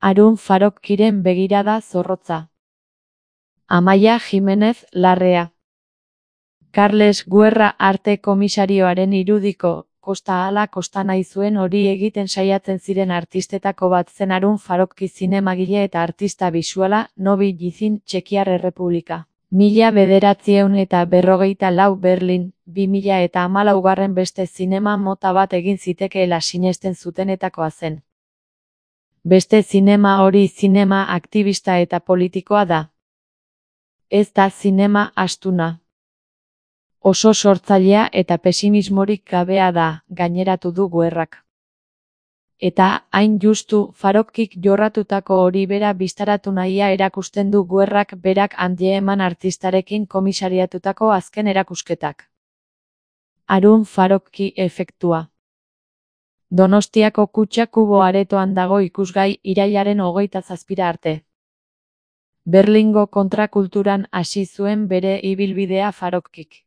Harun Farokkiren begirada zorrotza. Amaia Jimenez Larrea. Carles Guerra arte komisarioaren irudiko, kosta ala kosta nahi zuen hori egiten saiatzen ziren artistetako bat zen Harun Farokki zinemagile eta artista bisuala, Novi Gizin Txekiar Errepublika. 1954 Berlin, 2014 beste zinema mota bat egin zitekeela sinesten zutenetakoa zen. Beste zinema hori zinema aktivista eta politikoa da. Ez da zinema astuna. Oso sortzailea eta pesimismorik gabea da, gaineratu du Guerrak. Eta, hain justu, Farokkik jorratutako hori bera bistaratu nahia erakusten du Guerrak berak Antieman artistarekin komisariatutako azken erakusketak. Harun Farokki efektua. Donostiako Kutxa Kubo aretoan dago ikusgai irailaren 27 arte. Berlingo kontrakulturan hasi zuen bere ibilbidea Farokkik.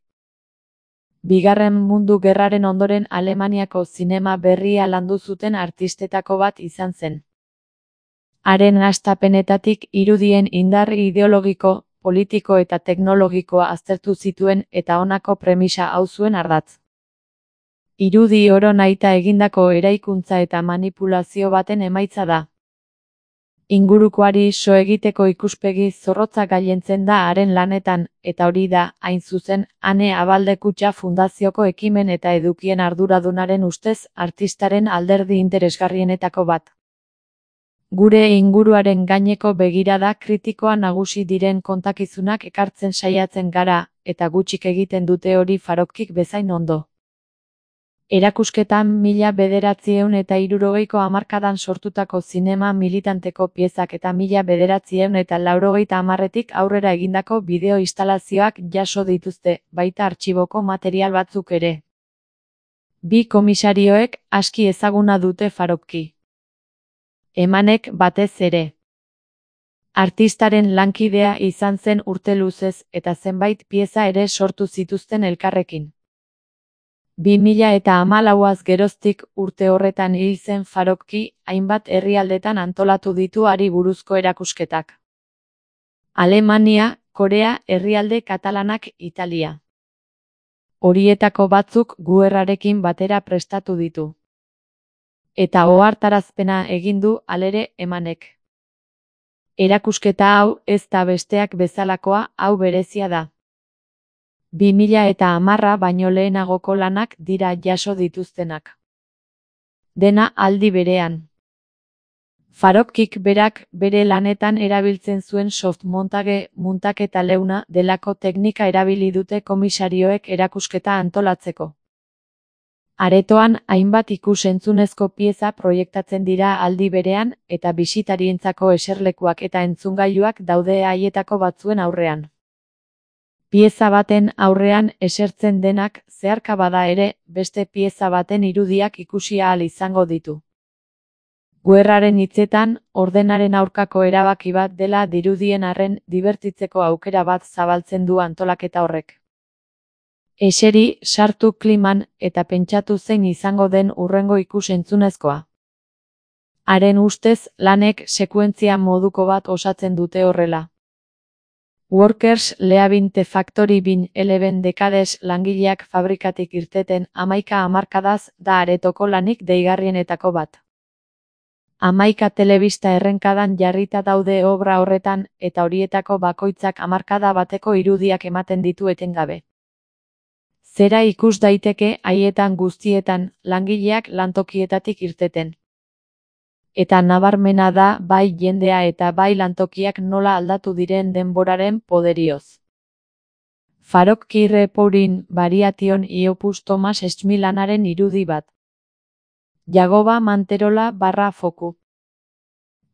Bigarren Mundu Gerraren ondoren Alemaniako zinema berria landu zuten artistetako bat izan zen. Haren hastapenetatik irudien indar ideologiko, politiko eta teknologikoa aztertu zituen eta honako premisa hau zuen ardatz. Irudi oro nahita egindako eraikuntza eta manipulazio baten emaitza da. Ingurukoari so egiteko ikuspegi zorrotza gailentzen da haren lanetan, eta hori da, hain zuzen, Ane Abalde Kutxa Fundazioko ekimen eta edukien arduradunaren ustez artistaren alderdi interesgarrienetako bat. Gure inguruaren gaineko begirada kritikoa nagusi diren kontakizunak ekartzen saiatzen gara, eta gutxik egiten dute hori Farokkik bezain ondo. Erakusketan 1960ko hamarkadan sortutako zinema militanteko piezak eta 1980etik aurrera egindako bideo instalazioak jaso dituzte, baita artxiboko material batzuk ere. Bi komisarioek aski ezaguna dute Farokki. Emanek batez ere. Artistaren lankidea izan zen urte luzez eta zenbait pieza ere sortu zituzten elkarrekin. 2014az geroztik urte horretan hil zen Farokki, hainbat herrialdetan antolatu ditu hari buruzko erakusketak. Alemania, Korea, herrialde katalanak, Italia. Horietako batzuk Guerrarekin batera prestatu ditu. Eta ohartarazpena egin du halere Emanek. Erakusketa hau ez da besteak bezalakoa, hau berezia da. 2010 baino lehenagoko lanak dira jaso dituztenak. Dena aldi berean. Farokkik berak bere lanetan erabiltzen zuen softmontage, muntaketa leuna delako teknika erabili dute komisarioek erakusketa antolatzeko. Aretoan hainbat ikus-entzunezko pieza proiektatzen dira aldi berean eta bisitarientzako eserlekuak eta entzungailuak daude haietako batzuen aurrean. Pieza baten aurrean esertzen denak zeharka bada ere, beste pieza baten irudiak ikusi ahal izango ditu. Guerraren hitzetan, ordenaren aurkako erabaki bat dela dirudien arren dibertitzeko aukera bat zabaltzen du antolaketa horrek. Eseri, sartu kliman eta pentsatu zein izango den hurrengo ikus-entzunezkoa. Haren ustez, lanek sekuentzia moduko bat osatzen dute horrela. Workers leaving the factory bin 11 decades langileak fabrikatik irteten 11 hamarkadaz da aretoko lanik deigarrienetako bat. 11 telebista errenkadan jarrita daude obra horretan eta horietako bakoitzak hamarkada bateko irudiak ematen ditu etengabe. Zera ikus daiteke haietan guztietan langileak lantokietatik irteten. Eta nabarmena da bai jendea eta bai lantokiak nola aldatu diren denboraren poderioz. Farokki Repourin variation iopus Thomas Schmi lanaren irudi bat. Jagoba Manterola /foku.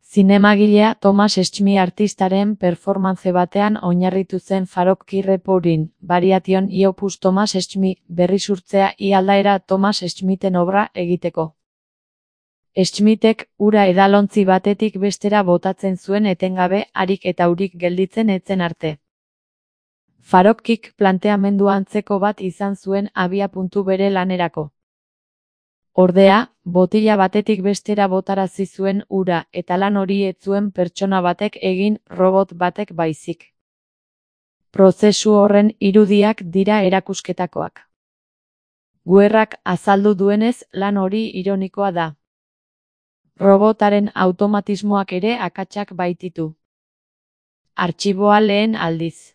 Zinemagilea Thomas Schmi artistaren performance batean oinarritu zen Farokki Repourin variation iopus Thomas Schmi berrisurtzea aldaera Thomas Schmiten obra egiteko. Schmitek ura edalontzi batetik bestera botatzen zuen etengabe harik eta urik gelditzen etzen arte. Farokkik planteamendu antzeko bat izan zuen abiapuntu bere lanerako. Ordea, botila batetik bestera botarazi zuen ura eta lan hori ez zuen pertsona batek egin, robot batek baizik. Prozesu horren irudiak dira erakusketakoak. Guerrak azaldu duenez, lan hori ironikoa da. Robotaren automatismoak ere akatsak baititu. Artxiboa lehen aldiz.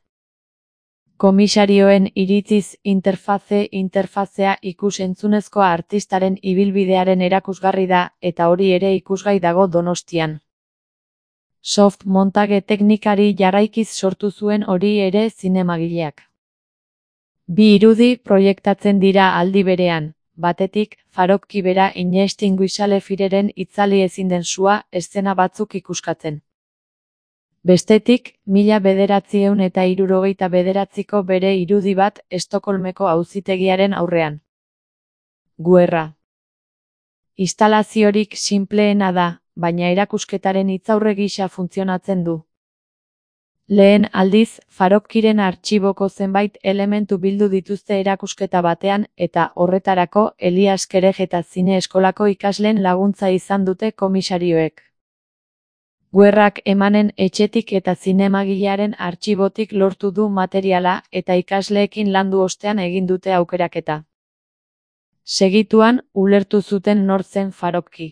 Komisarioen iritziz interfazea ikus-entzunezko artistaren ibilbidearen erakusgarri da eta hori ere ikusgai dago Donostian. Soft montage teknikari jarraikiz sortu zuen hori ere zinemagileak. Bi irudi proiektatzen dira aldi berean, batetik, Farokki bera inextinguishable fireren itzali ezin den sua eszena batzuk ikuskatzen. Bestetik, 1969ko bere irudi bat Estokolmeko auzitegiaren aurrean. Guerra. Instalaziorik sinpleena da, baina erakusketaren hitzaurre gisa funtzionatzen du. Lehen aldiz, Farokkiren artxiboko zenbait elementu bildu dituzte erakusketa batean eta horretarako Elias Kerejeta Zine Eskolako ikasleen laguntza izan dute komisarioek. Guerrak emanen etxetik eta zinemagilearen artxibotik lortu du materiala eta ikasleekin landu ostean egin dute aukeraketa. Segituan, ulertu zuten nor zen Farokki.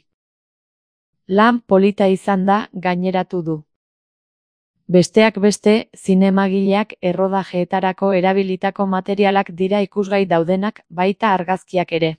Lan polita izan da, gaineratu du. Besteak beste, zinemagileak errodajeetarako erabilitako materialak dira ikusgai daudenak, baita argazkiak ere.